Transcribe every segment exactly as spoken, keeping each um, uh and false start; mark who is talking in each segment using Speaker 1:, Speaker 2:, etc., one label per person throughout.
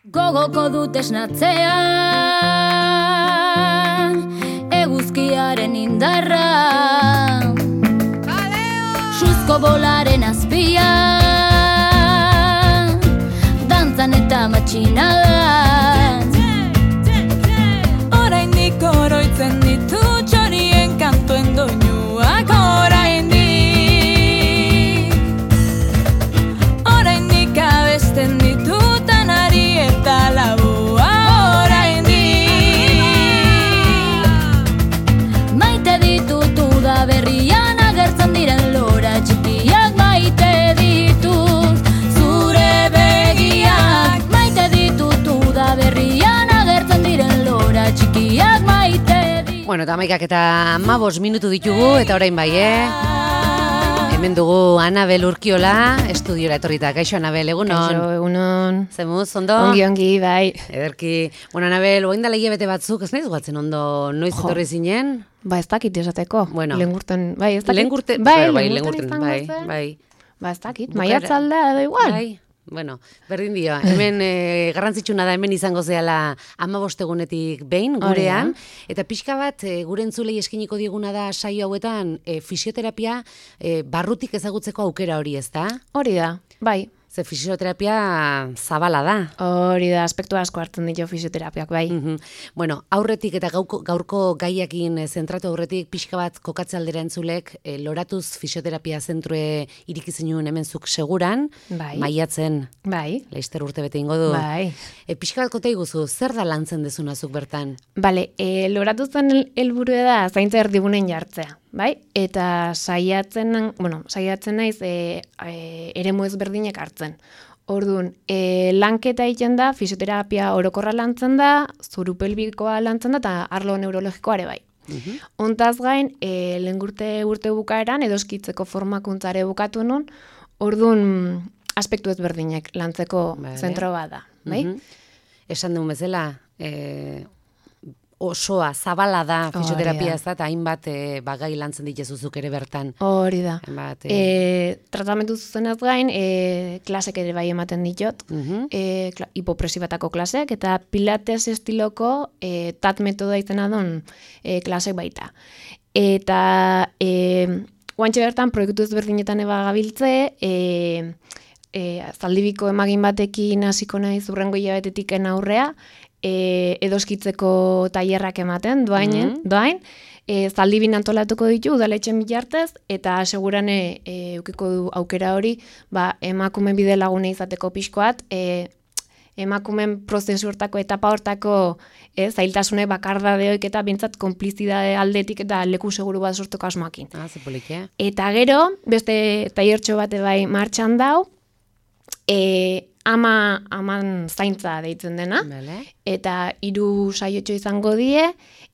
Speaker 1: Gogoko dut esnatzea, eguzkiaren indarra, suzko bolaren azpia, dantzan eta matxinadan. Oraindik oroitzen ditu txorien kantuen doinuak, oraindik oraindik abesten ditutan ari eta labua, oraindik maite ditutu da berrian agertzen diren lora txikiak, maite ditut zure begiak, maite ditutu da berrian agertzen diren lora txikiak, maite ditut.
Speaker 2: Bueno, eta amaikak eta amabos minutu ditugu, eta orain bai, eh? Hemen dugu Anabel Urkiola, estudiora etorrita. Kaixo, Anabel, egunon?
Speaker 3: Kaixo, egunon.
Speaker 2: Zemuz, ondo?
Speaker 3: Ongi, ongi, bai.
Speaker 2: Ederki. Bueno, Anabel, oin dala hilabete batzuk, ez nahiz guatzen ondo, noiz
Speaker 3: Jo.
Speaker 2: etorri zinen?
Speaker 3: Ba, ez dakit esateko.
Speaker 2: Bueno.
Speaker 3: Lengurten, bai, ez dakit.
Speaker 2: Lengurten,
Speaker 3: bai,
Speaker 2: bai,
Speaker 3: lengurten
Speaker 2: lengurten,
Speaker 3: izango
Speaker 2: bai,
Speaker 3: zen.
Speaker 2: bai.
Speaker 3: Ba, ez dakit,
Speaker 2: Bukaera-
Speaker 3: maiatzaldea da igual.
Speaker 2: Bai, bueno, berdin dio. Hemen eh, garrantzitsuna da hemen izango zehala amabost egunetik behin gurean, eta pixka bat eh, gure entzulei eskiniko dieguna da saio hauetan eh, fisioterapia eh, barrutik ezagutzeko aukera hori, ezta?
Speaker 3: Hori da, bai.
Speaker 2: Ze fisioterapia zabala da.
Speaker 3: Hori da, aspektu asko hartzen ditu fisioterapiak, bai.
Speaker 2: Mhm. Bueno, aurretik eta gauko, gaurko gaiakin eh, zentratu aurretik pixka bat kokatze aldera entzulek eh, loratuz fisioterapia zentrue irikizinun hemen zuk seguran,
Speaker 3: Bai.
Speaker 2: maiatzen,
Speaker 3: Bai,
Speaker 2: leister urte bete ingo du.
Speaker 3: bai.
Speaker 2: E, pixka bat kota iguzu, zer da lantzen dezuna zuk bertan?
Speaker 3: Bale, e, loratu zen el- helburua da zaintza erdigunen jartzea, bai? Eta saiatzen, bueno, saiatzen naiz e, e, eremu ezberdinak hartzen. Orduan, e, lanketa egiten da, fisioterapia orokorra lantzen da, zuru pelbikoa lantzen da, eta arlo neurologikoa ere bai. Hontaz gain, e, lehen urte urte bukaeran, edoskitzeko formakuntzare bukatu nun, orduan aspektu ezberdinak lantzeko
Speaker 2: Vale.
Speaker 3: zentro bat da, bai?
Speaker 2: Mhm. Esan duen bezala, e, osoa, zabala da fisioterapia, ez da, eta hainbat e, bagai lantzen dituzuzuk ere bertan.
Speaker 3: Hori da.
Speaker 2: Hainbat, e,
Speaker 3: E, tratamentu zuzenez gain, e, klasek ere bai ematen ditut,
Speaker 2: mhm.
Speaker 3: e, kla, hipopresibatako klasek, eta pilates estiloko e, tat metoda izena duen e, klasek baita. Eta e, guantxe bertan proiektu ezberdinetan eba gabiltze, e, e, zaldibiko emagin batekin hasiko naiz urrengo hilabetetiken aurrea, e, edoskitzeko tailerrak ematen, doainen,
Speaker 2: Mhm.
Speaker 3: doain, e, zaldibin antolatuko ditu udaletxen bilartez, eta segurane e, eukiko du aukera hori, ba, emakume bide lagune izateko pixkoat, e, emakumen prozesu hortako, etapa hortako e, zailtasune bakardadeoik eta bintzat konplizidade aldetik eta leku seguru bat sorteko asmoakin.
Speaker 2: Ah, ze polik, eh?
Speaker 3: Eta gero, beste tailertxo bate bai martxan dau, e, ama, aman zaintza deitzen dena,
Speaker 2: Bale.
Speaker 3: eta hiru saiotxo izango die,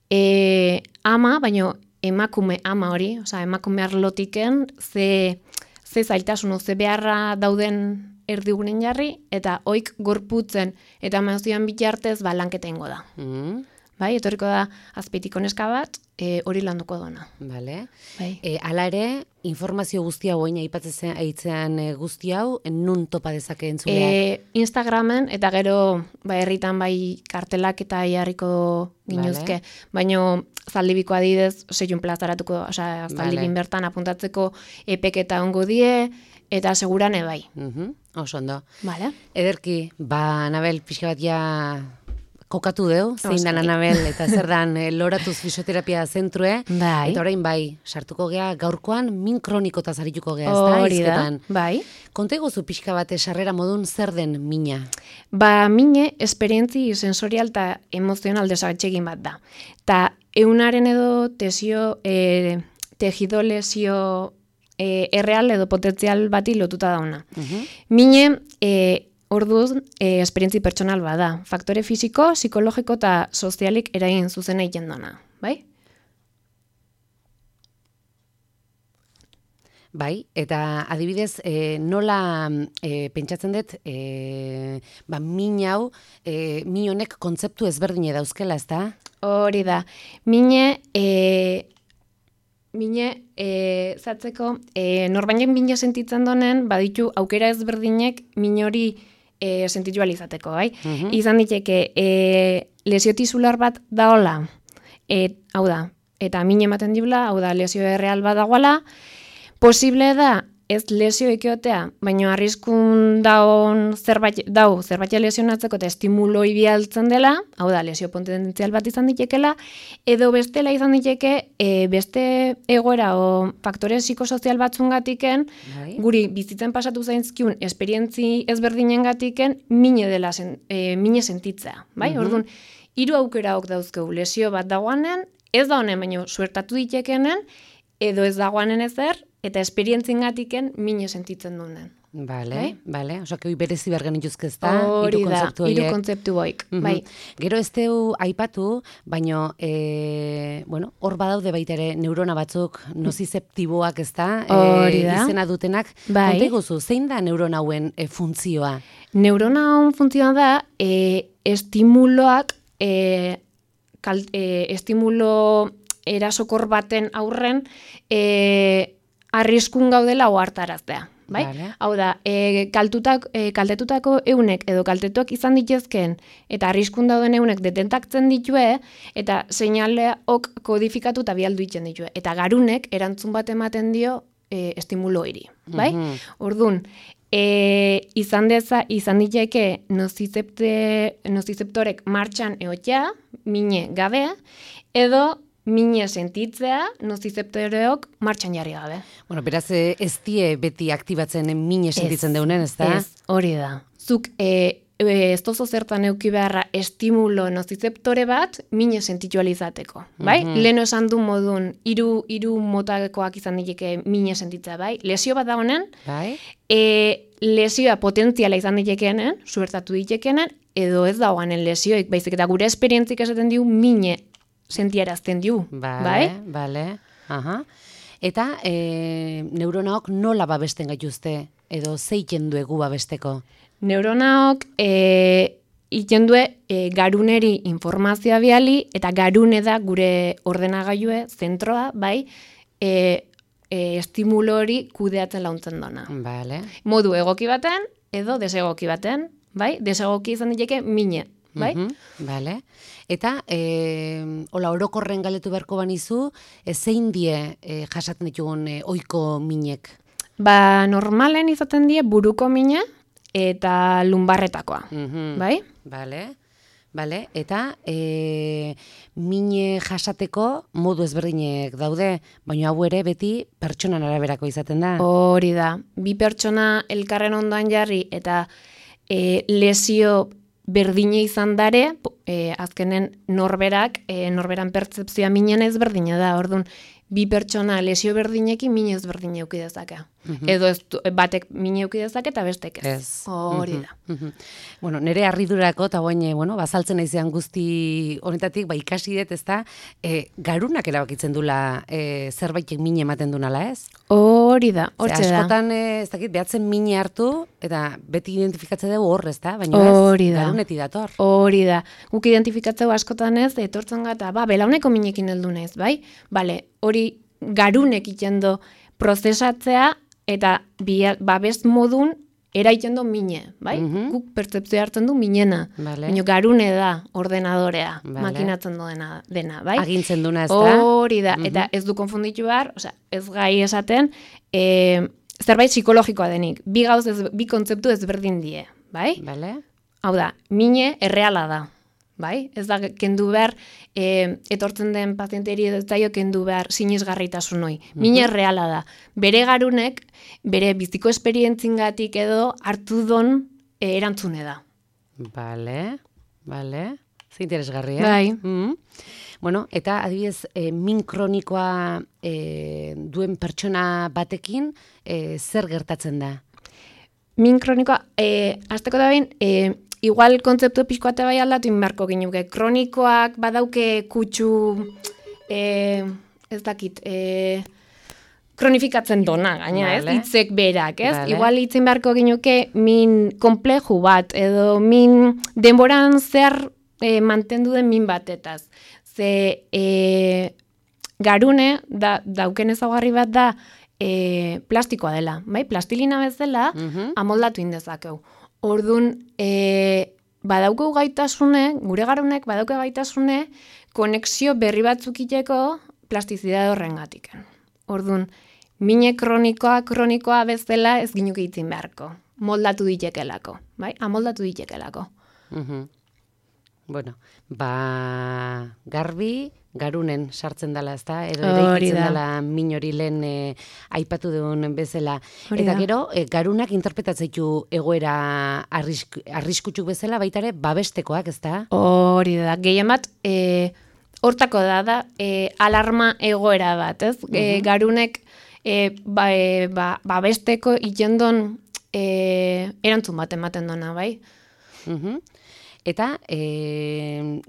Speaker 3: e, ama, baino emakume ama hori, osea emakume arlotiken, ze, ze zailtasun, ze beharra dauden erdigunen jarri, eta oik gorputzen eta emozioan bitartez ba lanketa ingo da.
Speaker 2: Mhm.
Speaker 3: Bai, etorriko da azpeitiko neska bat, e, hori landuko dona.
Speaker 2: Bale.
Speaker 3: Bai.
Speaker 2: E, ala ere, informazio guzti hau, oin aipatzen aitzean e, guzti hau, nun topa dezake entzuleak?
Speaker 3: E, Instagramen, eta gero ba, herritan bai kartelak eta jarriko ginuzke, baino zaldibiko adidez, seiun plazaratuko, osea, zaldibin
Speaker 2: Vale.
Speaker 3: bertan apuntatzeko epeketa ongo die, eta segurane bai.
Speaker 2: Mhm. Oso ondo.
Speaker 3: Vale?
Speaker 2: Ederki, ba, Anabel, pixka bat ja kokatu deu, zein dan
Speaker 3: Oski.
Speaker 2: Anabel, eta zer dan eh, loratuz fisioterapia zentrue,
Speaker 3: Bai.
Speaker 2: eta orain bai, sartuko gea gaurkoan min kronikotaz arituko gea, ez da,
Speaker 3: Hori da,
Speaker 2: hizketan.
Speaker 3: bai.
Speaker 2: Konta iguzu pixka bat sarrera modun zer den mina?
Speaker 3: Ba, mine, esperientzi sensorial eta emozional desagatxegin bat da. Ta eunaren edo tesio, e, tejido lesio e, erreal edo potentzial bati lotuta dauna.
Speaker 2: Mhm.
Speaker 3: Mine, e, orduz, e, esperientzi pertsonal bada. Faktore fisiko, psikologiko eta sozialik eragin zuzena egiten dona. Bai?
Speaker 2: Bai, eta adibidez, e, nola e, pentsatzen dut, e, ba, min hau, e, min honek kontzeptu ezberdine dauzkela, ez da?
Speaker 3: Hori da. Mine, e, mine, e, zatzeko, e, norbainen bine sentitzen donen, baditu aukera ezberdinek min hori e, sentitu alizateko, bai? Uh-huh. Izan diteke, e, lesio tisular bat daola, e, hau da, eta min ematen dibla, hau da, lesio erreal bat dagoela, posible da, ez lesio ekiotea, baina arriskun daun zerbait, dau zerbait lesionatzeko eta estimuloi bialtzen dela, hau da, lesio potentzial bat izan ditekela, edo bestela izan diteke e, beste egoera o faktore psikosozial batzungatiken, bai. Guri bizitzen pasatu zaizkiun esperientzi ezberdinengatiken mine dela sen, e, mine sentitzea, bai? Uh-huh. Orduan, hiru aukeraok dauzkegu, lesio bat dagoanen, ez da honen, baina suertatu ditekenen, edo ez dagoanen ezer, eta esperientzingatiken mine sentitzen dunen.
Speaker 2: Bale, bai? Bale. Osa, que hoi berezi bergen ituzke ez da,
Speaker 3: hiru kontzeptu hiru kontzeptu boik, mm-hmm. bai.
Speaker 2: Gero ez teu aipatu, baino, e, bueno, hor badaude baita ere neurona batzuk nozizeptiboak ez da, e, izena dutenak. Bai. Konta iguzu, zein da neurona hauen e, funtzioa?
Speaker 3: Neurona hauen funtzioa da, e, estimuloak, e, kal, e, estimulo erasokor baten aurren, e, arriskun gaudela ohartaraztea, bai? Vale. Hau da, e, kaltutak, e, kaltetutako eunek edo kaltetuak izan dituzken eta arriskun dauden eunek detentaktzen ditue eta seinaleak kodifikatu eta bialdu itzen ditue. Eta garunek erantzun bat ematen dio e, estimuloiri, bai? Mm-hmm. Orduan, e, izan deza, izan diteke nozizepte, nozizeptorek martxan egotea, mine gabe, edo mine sentitzea, nozizeptoreok martxan jarri gabe.
Speaker 2: Bueno, beraz, ez die beti aktibatzen mine sentitzen deunen, ez da?
Speaker 3: Ez, hori da. Zuk, e, e, ez tozo zertan euki beharra estimulo nozizeptore bat, mine sentitualizateko, bai? Mm-hmm. Leno esan du modun, hiru hiru motakoak izan diteke mine sentitzea, bai? Lesio bat da honen, bai? E, lesioa potentziala izan ditekeenen, suertatu ditekeenen, edo ez dagoanen lesioik, baizik eta gure esperientzik esaten diu mine sentiarazten diu,
Speaker 2: vale,
Speaker 3: bai?
Speaker 2: Bale, aha. Eta e, neuronaok nola babesten gaituzte, edo zeiken duegu babesteko?
Speaker 3: Neuronaok e, ikendue e, garuneri informazioa biali, eta garune da gure ordenagailue, zentroa, bai, e, e, estimulo hori kudeatzen launtzen dona.
Speaker 2: Vale.
Speaker 3: Modu egoki baten, edo desegoki baten, bai? Desegoki izan diteke mine, bai?
Speaker 2: Mm-hmm, vale. Eta, e, hola, orokorren galetu beharko banizu, e, zein die e, jasaten ditugun e, oiko minek?
Speaker 3: Ba, normalen izaten die buruko mine eta lumbarretakoa, mm-hmm. bai?
Speaker 2: Bale, bale. Eta, e, mine jasateko modu ezberdinek daude, baina hau ere beti pertsonan araberako izaten da.
Speaker 3: Hori da. Bi pertsona elkarren ondoan jarri eta e, lesio berdine izan dare, e, azkenen norberak, e, norberan pertzepzioa minen ezberdina da, orduan, bi pertsona lesio berdinekin mine ezberdine euki dezake. Mm-hmm. Edo ez, batek mine euki dezake eta bestek ez.
Speaker 2: Ez.
Speaker 3: Hori da.
Speaker 2: Mm-hmm. Bueno, nire harridurako, eta guain, bueno, bazaltzen naizean guzti honetatik, ba, ikasi dut, ez da, e, garunak erabakitzen dula e, zerbaitek mine ematen dunala, ez?
Speaker 3: Hori da, hortxe da.
Speaker 2: Askotan, e, ez dakit, behatzen mine hartu, eta beti identifikatzen dugu hor, ez da? Baina
Speaker 3: hori
Speaker 2: ez,
Speaker 3: da.
Speaker 2: Garuneti dator.
Speaker 3: Hori da. Guk identifikatzeu askotan ez, etortzen gata, ba, belauneko minekin heldu naiz, bai? Bale, hori garunek itxendo prozesatzea, eta babes modun eraiten du mine, bai? Mm-hmm. Guk pertzepzioa hartzen du minena. Vale. Baina garune da ordenadorea, vale. Makinatzen duena dena, bai?
Speaker 2: Agintzen duna ez da?
Speaker 3: Hori da, mm-hmm. Eta ez du konfunditu behar, osea, ez gai esaten, e, zerbait psikologikoa denik. Bi gauz, ez, bi kontzeptu ezberdin die, bai?
Speaker 2: Vale.
Speaker 3: Hau da, mine erreala da. Bai? Ez da, kendu behar, e, etortzen den pazienteri ez daio kendu behar sinisgarritasun hoi. Mine mm-hmm. reala da. Bere garunek, bere biziko esperientzingatik edo hartu don e, erantzune da.
Speaker 2: Bale, bale. Ze interesgarria.
Speaker 3: Bai.
Speaker 2: Mm-hmm. Bueno, eta adibidez, e, min kronikoa e, duen pertsona batekin, e, zer gertatzen da?
Speaker 3: Min kronikoa, e, azteko da behin, e, igual kontzeptu pixkoate bai aldatu inbarko ginuke. Kronikoak badauke kutsu, e, ez dakit, e, kronifikatzen dona, gaina, vale. Ez? Hitzek berak, ez? Vale. Igual hitzen beharko ginuke min kompleju bat, edo min denboran zer e, mantendu den min batetaz. Ze e, garune, da, dauken ezaugarri bat da, e, plastikoa dela, bai? Plastilina bezala, mm-hmm. amoldatu indezakeu. Ordun e, badauko gaitasune, gure garunek badauko gaitasune, konexio berri batzuk iteko plastizidade horrengatik. Ordun, mine kronikoa, kronikoa bezala ez ginuk itzin beharko. Moldatu ditekelako, bai? Amoldatu ditekelako.
Speaker 2: Mhm. Bueno, ba, garbi, garunen sartzen dela, ezta? Edo eraikitzen dela min hori lehen e, aipatu duen bezala.
Speaker 3: Hori
Speaker 2: Eta
Speaker 3: da.
Speaker 2: gero, e, garunak interpretatzeitu egoera arrisk, arriskutsuk bezala, baita ere, babestekoak, ezta?
Speaker 3: Hori da, gehien bat, e, hortako da, da e, alarma egoera bat, ez? E, garunek e, ba, e, ba, babesteko itendon e, erantzun bat ematen dona, bai?
Speaker 2: Mhm. Eta e,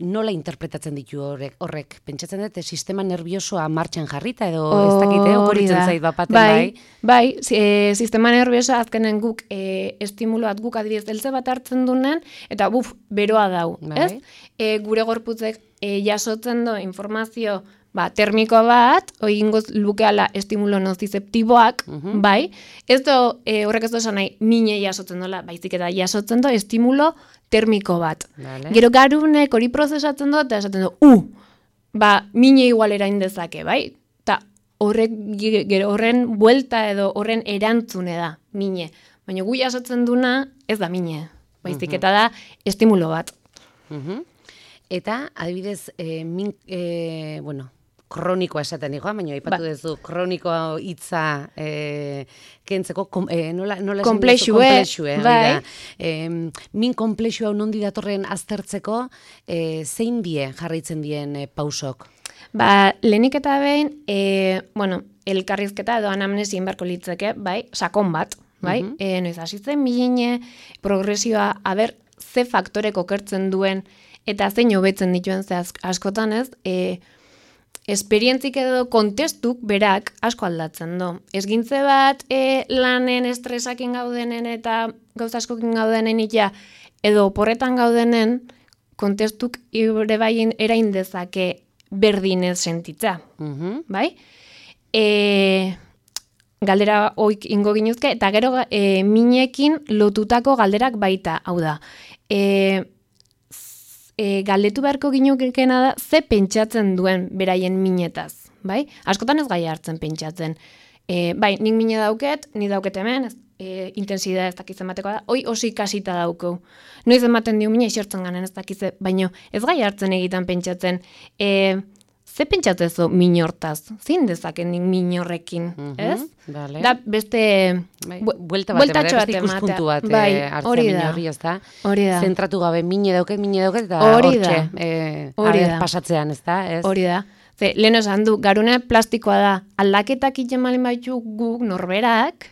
Speaker 2: nola interpretatzen ditu horrek? Horrek, pentsatzen dut, sistema nerviosoa martxan jarrita edo ez dakite, okurritzen zait bapaten bai?
Speaker 3: Bai, e, sistema nerviosoa azkenen guk e, estimuloat guk adibidez eltze bat hartzen dunen, eta buf, beroa dau,
Speaker 2: Bai.
Speaker 3: ez? E, gure gorputzek e, jasotzen do informazio ba, termiko bat, oingoz lukeala estimulo nozizeptiboak, bai, ez do, e, horrek ez do esan nahi, mine jasotzen dola, baizik eta jasotzen do estimulo termiko bat.
Speaker 2: Vale.
Speaker 3: Gero garunek hori prozesatzen do, eta esaten do, u, ba, mine igual erain dezake, bai? Ta horrek, gero horren buelta edo horren erantzune da, mine. Baina gu jasotzen duna, ez da mine, baizik eta da estimulo bat.
Speaker 2: Mhm. Eta, adibidez, e, min, e, bueno, kronikoa esaten digoa, baina aipatu
Speaker 3: Ba.
Speaker 2: duzu kronikoa hitza e, kentzeko, kom, e, nola, nola esan
Speaker 3: Konplexue,
Speaker 2: duzu? Konplexue, hori
Speaker 3: bai.
Speaker 2: da. E, min konplexua nondi datorren aztertzeko, e, zein die jarraitzen dien e, pausok?
Speaker 3: Ba, lehenik eta behin, e, bueno, elkarrizketa edo anamnesia inbarko litzeke, bai, sakon bat, bai,
Speaker 2: Mhm.
Speaker 3: e, noiz hasitzen mine, progresioa, aber, ze faktorek okertzen duen, eta zein hobetzen dituen ze ask- askotan ez, e, esperientzik edo kontestuk berak asko aldatzen do. Esgintze bat e, lanen estresakin gaudenen eta gauza askokin gaudenen ita, edo oporretan gaudenen, kontestuk ere bai erain dezake berdinez sentitza,
Speaker 2: Mhm.
Speaker 3: bai? E, galdera oik ingo ginuzke, eta gero e, minekin lotutako galderak baita, hau da. E, e, galdetu beharko ginukena da, ze pentsatzen duen beraien minetaz, bai? Askotan ez gai hartzen pentsatzen. E, bai, nik mine dauket, ni dauket hemen, ez, e, intensidade ez dakitzen bateko da, hoi osi kasita dauko. Noiz ematen dio mine isertzen ganen ez dakize, baino ez gai hartzen egiten pentsatzen, e, ze pentsatzezo min hortaz? Zein dezaken nik min horrekin, ez?
Speaker 2: Vale.
Speaker 3: Da beste
Speaker 2: Bai,
Speaker 3: bu-
Speaker 2: buelta bat,
Speaker 3: bueltatxo
Speaker 2: beste
Speaker 3: bat
Speaker 2: ikuspuntu bat
Speaker 3: ematea. Bai,
Speaker 2: eh, hartzea
Speaker 3: hori
Speaker 2: min
Speaker 3: da.
Speaker 2: horri, ez da?
Speaker 3: Hori da.
Speaker 2: Zentratu gabe, mine dauket, mine dauket, eta
Speaker 3: Hori da.
Speaker 2: hortxe, eh,
Speaker 3: Hori
Speaker 2: aber
Speaker 3: da.
Speaker 2: pasatzean, ez da? Ez?
Speaker 3: Hori da. Ze, lehen esan du, garune plastikoa da, aldaketak iten malin baitu guk norberak,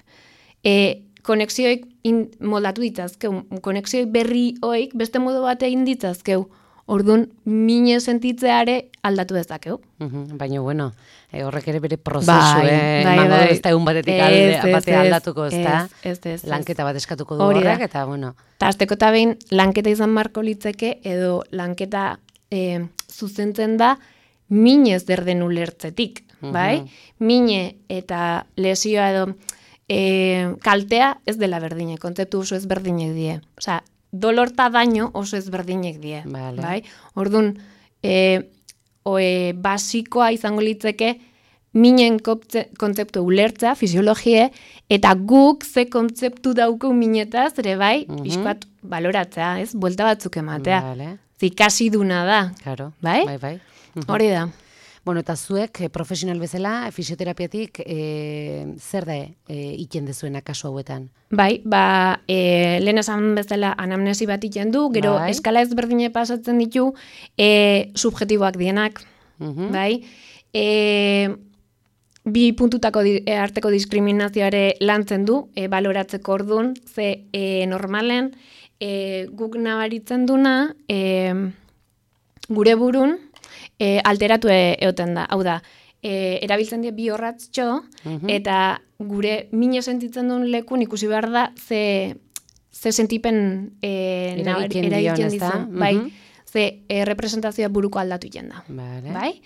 Speaker 3: e, konexioik in, moldatu ditzazkeu, konexioik berri hoik beste modu bate egin ditzazkeu. Orduan, mine sentitzeare aldatu dezakeu.
Speaker 2: Mhm, baina, bueno, eh, horrek ere bere prozesu,
Speaker 3: Bai,
Speaker 2: eh,
Speaker 3: bai,
Speaker 2: emango
Speaker 3: bai.
Speaker 2: du, ez da egun batetik
Speaker 3: Ez,
Speaker 2: alde,
Speaker 3: ez,
Speaker 2: bate
Speaker 3: ez,
Speaker 2: aldatuko, ez da?
Speaker 3: ez, ez, ez, ez.
Speaker 2: Lanketa bat eskatuko du
Speaker 3: Hori da.
Speaker 2: horrek, eta, bueno.
Speaker 3: Ta azteko eta behin, lanketa izan marko litzeke, edo lanketa e, zuzentzen da, minez derden ulertzetik, bai? Mine eta lesioa edo e, kaltea ez dela berdine, kontzeptu oso ez berdinek die. Osea, dolorta daño oso ez berdinek die,
Speaker 2: Vale.
Speaker 3: bai? Orduan, e, oe, basikoa izango litzeke, minen koptze- kontzeptu ulertza, fisiologie, eta guk ze kontzeptu dauko minetaz, ere bai,
Speaker 2: Mhm.
Speaker 3: pixkat baloratzea, ez? Buelta batzuk ematea.
Speaker 2: Vale,
Speaker 3: Zikasi duna da,
Speaker 2: claro.
Speaker 3: Bai?
Speaker 2: Bai, bai. Mhm.
Speaker 3: hori da.
Speaker 2: Bueno, eta zuek, eh, profesional bezala, fisioterapiatik, eh, zer da eh, iten dezuena kasu hauetan?
Speaker 3: Bai, ba, e, lehen esan bezala anamnesi bat iten du, gero
Speaker 2: Bai.
Speaker 3: eskala ezberdine pasatzen ditu, e, subjetiboak dienak,
Speaker 2: Mhm.
Speaker 3: bai? E, bi puntutako di, e, arteko diskriminazioare lantzen du, e, baloratzeko ordun, ze e, normalen e, guk nabaritzen duna, e, gure burun, e, alteratu e, eoten da. Hau da, e, erabiltzen die bi horratztxo,
Speaker 2: Mhm.
Speaker 3: eta gure mine sentitzen duen lekun ikusi behar da ze, ze sentipen e,
Speaker 2: Eragiten dion,
Speaker 3: eragiten
Speaker 2: ezta?
Speaker 3: dizun. Bai,
Speaker 2: Mhm.
Speaker 3: ze e, representazioa buruko aldatu iten da.
Speaker 2: Vale.
Speaker 3: Bai?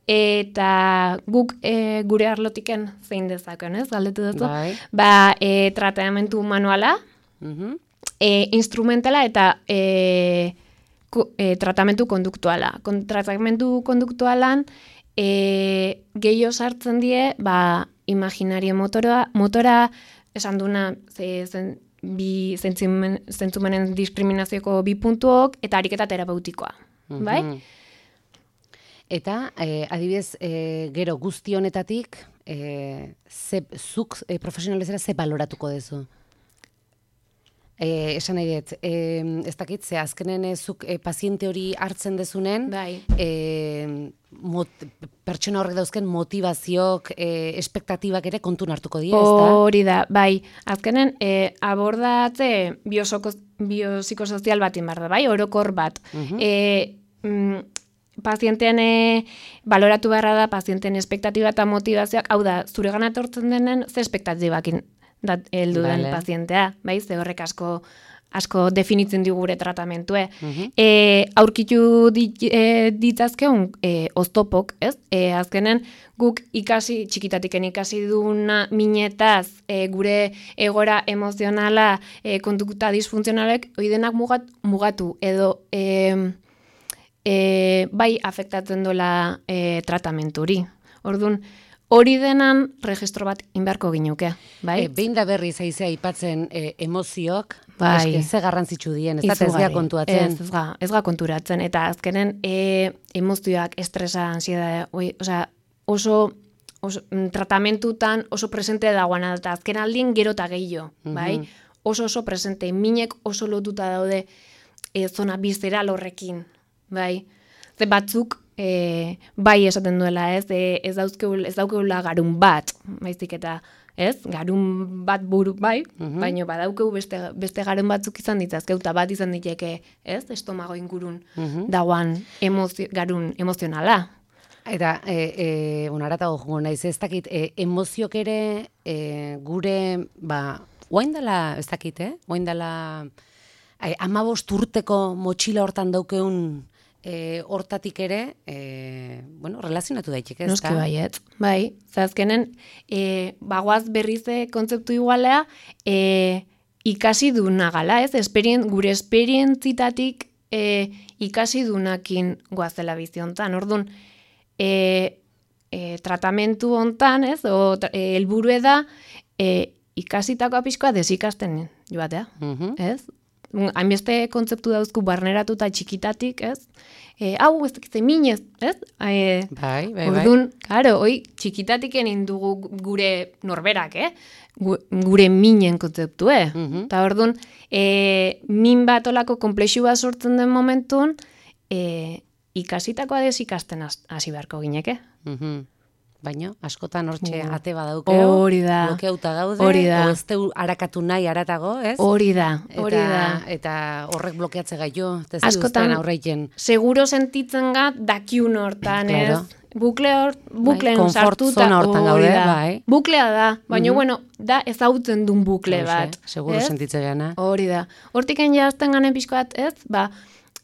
Speaker 3: Eta guk e, gure arlotiken zein dezaken, ez? Galdetu dut.
Speaker 2: Bai.
Speaker 3: Ba, e, tratamentu manuala,
Speaker 2: Mhm.
Speaker 3: e, instrumentala eta e, ko, e, tratamentu konduktuala. Kon, tratamentu konduktualan e, gehiago sartzen die, ba, imaginario motora, motora esan duna, ze, zen, bi zentzumen, zentzumenen diskriminazioko bi puntuok eta ariketa terapeutikoa, mm-hmm. bai?
Speaker 2: Eta, eh, adibidez, eh, gero guzti honetatik, eh, ze, zuk eh, profesionalezera ze baloratuko dezu? Eh, esan nahi dut, eh, ez dakit, ze azkenen eh, zuk eh, paziente hori hartzen dezunen,
Speaker 3: bai.
Speaker 2: eh, mot, pertsona horrek dauzken motivazioak, eh, espektatibak ere kontun hartuko dira, ez da?
Speaker 3: Hori da, bai. Azkenen, eh, abordatze biopsikosozial bat inbar da, bai? Orokor bat. Uh-huh. eh, mm, pazientean e, baloratu beharra da, pazienteen espektatiba eta motivazioak, hau da, zure gana etortzen denen, ze espektatibakin heldu den vale. Pazientea, bai, ze horrek asko asko definitzen du gure tratamentue. Uh-huh. E, aurkitu dit, e, ditzazkeun e, oztopok, ez? E, azkenen guk ikasi, txikitatiken ikasi duna minetaz, e, gure egora emozionala, e, kondukuta disfuntzionalek, oidenak mugat, mugatu, edo e, e, bai afektatzen dola e, tratamenturi. Orduan, hori denan registro bat inberko ginuke, bai?
Speaker 2: E, behin da berri zaizea aipatzen e, emozioak,
Speaker 3: bai.
Speaker 2: Eske, ze garrantzitsu dien, ez da ez ga kontuatzen.
Speaker 3: Ez, ez ga, ez ga konturatzen, eta azkenen e, emozioak, estresa, ansiedade, osea, oso, oso tratamentutan oso presente dagoena, eta azken aldin gero eta gehiago, bai? Mm-hmm. Oso oso presente, minek oso lotuta daude e, zona bizeral horrekin, bai? Ze batzuk, E, bai esaten duela, ez, e, ez dauzkeula, ez daukeula garun bat, baizik eta, ez, garun bat buru, bai, uh-huh. baina badaukeu beste, beste garun batzuk izan ditzazkeu, eta bat izan diteke, ez, estomago ingurun uh-huh. dagoan emozio, garun emozionala.
Speaker 2: Eta, e, e, unaratago jongo naiz, ez dakit, e, emoziok ere e, gure, ba, oain dela, ez dakit, eh? Oain dela, e, amabost urteko motxila hortan daukeun, E, hortatik ere, e, bueno, relazionatu daiteke, ez da?
Speaker 3: Noski baiet, bai. Zazkenen, e, bagoaz berrize kontzeptu igualea, e, ikasi duna gala, ez? Esperien, gure esperientzitatik e, ikasi dunakin goazela biziontan. Orduan, e, e, tratamentu hontan, ez? O, e, elburue da, e, ikasitako apiskoa desikasten joatea, uh-huh. ez? Hainbeste kontzeptu dauzku barneratuta txikitatik, ez? E, hau, ez dakitze minez, ez? E,
Speaker 2: bai, bai,
Speaker 3: Ordun, bai. Karo, hoi, txikitatik egin dugu gure norberak, eh? Gure minen kontzeptu, eh? Uh-huh. Ta orduan, e, min bat olako komplexu bat sortzen den momentun, e, ikasitakoa desikasten hasi beharko gineke.
Speaker 2: Uh-huh. Baina, askotan hortxe uh. ate badaukeo,
Speaker 3: hori da,
Speaker 2: blokeuta gaude,
Speaker 3: hori da,
Speaker 2: o ez teu harakatu nahi haratago, ez?
Speaker 3: Hori da, hori da.
Speaker 2: Eta horrek blokeatze gaitu, ez duzten aurreiken.
Speaker 3: Seguro sentitzen gat dakiun hortan, claro. ez? Bukle hor, bukleen
Speaker 2: bai,
Speaker 3: sartuta,
Speaker 2: hortan gaude,
Speaker 3: da.
Speaker 2: Bai.
Speaker 3: Buklea da, baina, mm-hmm. bueno, da ezautzen duen bukle bat.
Speaker 2: Seguro sentitzen gana.
Speaker 3: Hori da. Hortik enjazten ganen pixko bat, ez? Ba,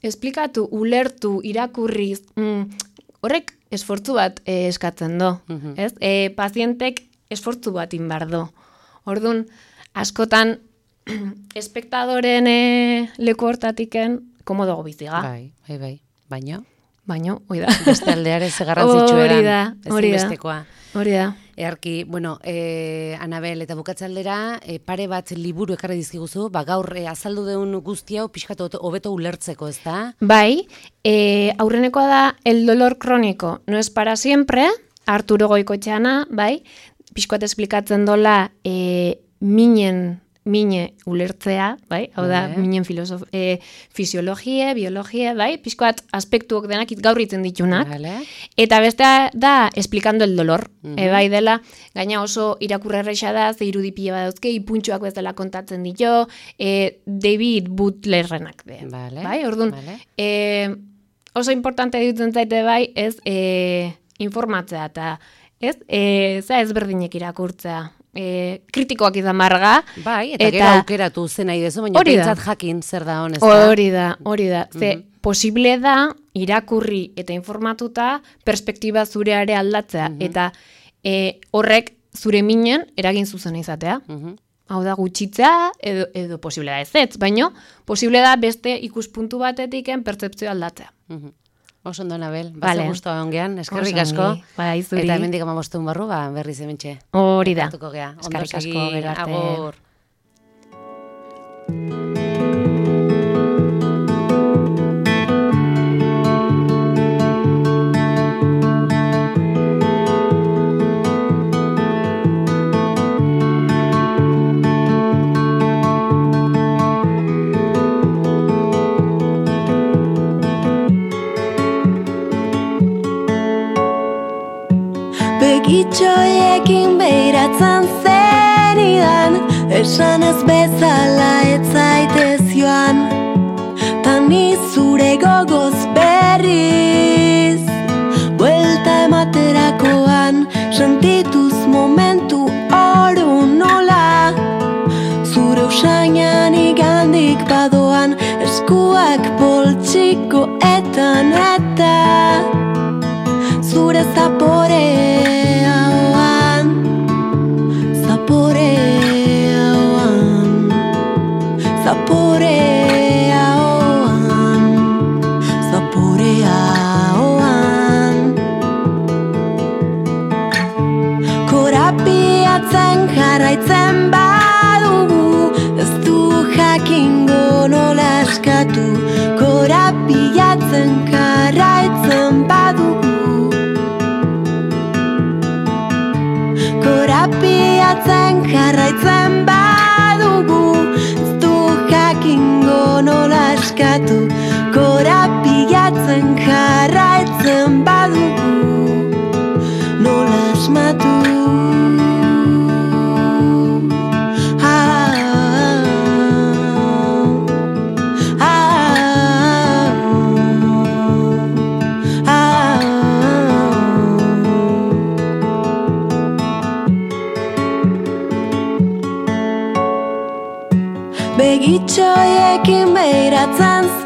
Speaker 3: esplikatu, ulertu, irakurriz, mm, horrek esfortzu bat eh, eskatzen do, uh-huh. ez? E, pazientek esfortzu bat inbar do. Orduan, askotan, espektadoren e, leku hortatiken, komodo biziga.
Speaker 2: Bai, bai, bai. Baino?
Speaker 3: Baino, hoi da.
Speaker 2: Beste aldeare ze garrantzitsu eran.
Speaker 3: Hori da, hori da. Hori da.
Speaker 2: Earki, bueno, eh, Anabel, eta bukatzaldera, eh, pare bat liburu ekarri dizkiguzu, ba, gaur eh, azaldu deun guzti hau pixkatu hobeto ulertzeko, ez da?
Speaker 3: Bai, eh, aurrenekoa da El dolor crónico no es para siempre, Arturo Goikoetxeana, bai, pixkoat esplikatzen dola eh, minen, mine ulertzea, bai, hau da, vale. Minen filosof, e, fisiologie, biologie, bai, pixkoat aspektuok denak gaur iten ditunak, vale. Eta bestea da, esplikando el dolor, uh-huh. e, bai dela, gaina oso irakurrerreixa da, ze irudipia badauzke, ipuntxoak bezala kontatzen ditu, e, David Butlerrenak, be, vale. Bai, orduan, vale. e, oso importante dutzen zaite bai, ez, e, informatzea, eta, ez, e, za ezberdinek irakurtzea, E, kritikoak izan marga.
Speaker 2: Bai, eta, eta gero aukeratu zen nahi dezu, baina pentsat jakin zer da honez.
Speaker 3: Hori da, hori da. Ze, mm-hmm. posible da, irakurri eta informatuta, perspektiba zureare aldatzea. Mm-hmm. Eta e, horrek zure minen eragin zuzen izatea. Mm-hmm. Hau da gutxitzea, edo, edo posible da ez ez, baino posible da beste ikuspuntu batetiken pertzeptzioa aldatzea.
Speaker 2: Mhm. Oso ondo, Anabel,
Speaker 3: Vale.
Speaker 2: baze gustoa ongean, eskerrik
Speaker 3: Oso
Speaker 2: asko.
Speaker 3: ongi. Bai, zuri.
Speaker 2: Eta hemendik amabostun barru, ba, berriz hementxe.
Speaker 3: Hori da.
Speaker 2: Elkartuko gea. Ondo
Speaker 3: Eskerrik asko,
Speaker 2: segi,
Speaker 3: gero arte.
Speaker 2: agur.
Speaker 4: Begitxoiekin behiratzen zenidan, esan ez bezala ez zaitez joan, tani zure gogoz berriz, buelta ematerakoan, sentituz momentu oro nola, zure usainan igandik badoan, eskuak poltsiko etan eta, zure zaporean, zaporean, zaporean, zaporean. Korapiatzen jarraitzen badugu, ez du jakingo nola eskatu. Korapiatzen jarraitzen badugu, korapiatzen jarraitzen badugu, ez du jakingo nola eskatu. Korapiatzen jarraitzen badugu, nola asmatu. Begitxoiekin behiratzen zen